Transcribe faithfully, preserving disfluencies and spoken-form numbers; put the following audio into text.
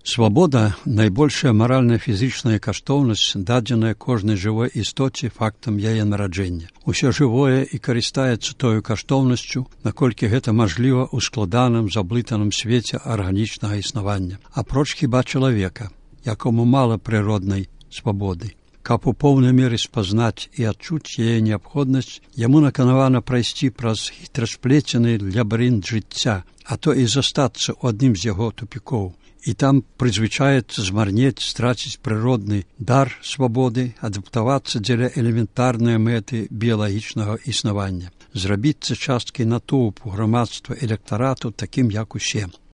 Свабода – найбольшая маральна-фізічная каштоўнасць, дадзеная кожнай жывой істоце фактам яе нараджэння. Усё жывое і карыстаецца тою каштоўнасцю, наколькі гэта мажліва ў складаным, заблытаным свеце арганічнага існавання. Апроч хіба чалавека, якому мала прыроднай свабоды. Каб у поўнай меры спазнаць і адчуць яе неабходнасць, яму наканавана прайсці праз хітрасплецены лабірынт жыцця, а то і застацца ў адным з яго тупікоў. І там прызвычаецца змарнець, страціць прыродны дар свабоды, адаптавацца дзеля элементарнай мэты біялагічнага існавання, зрабіцца часткай натоўпу грамадства электарату такім, як усе.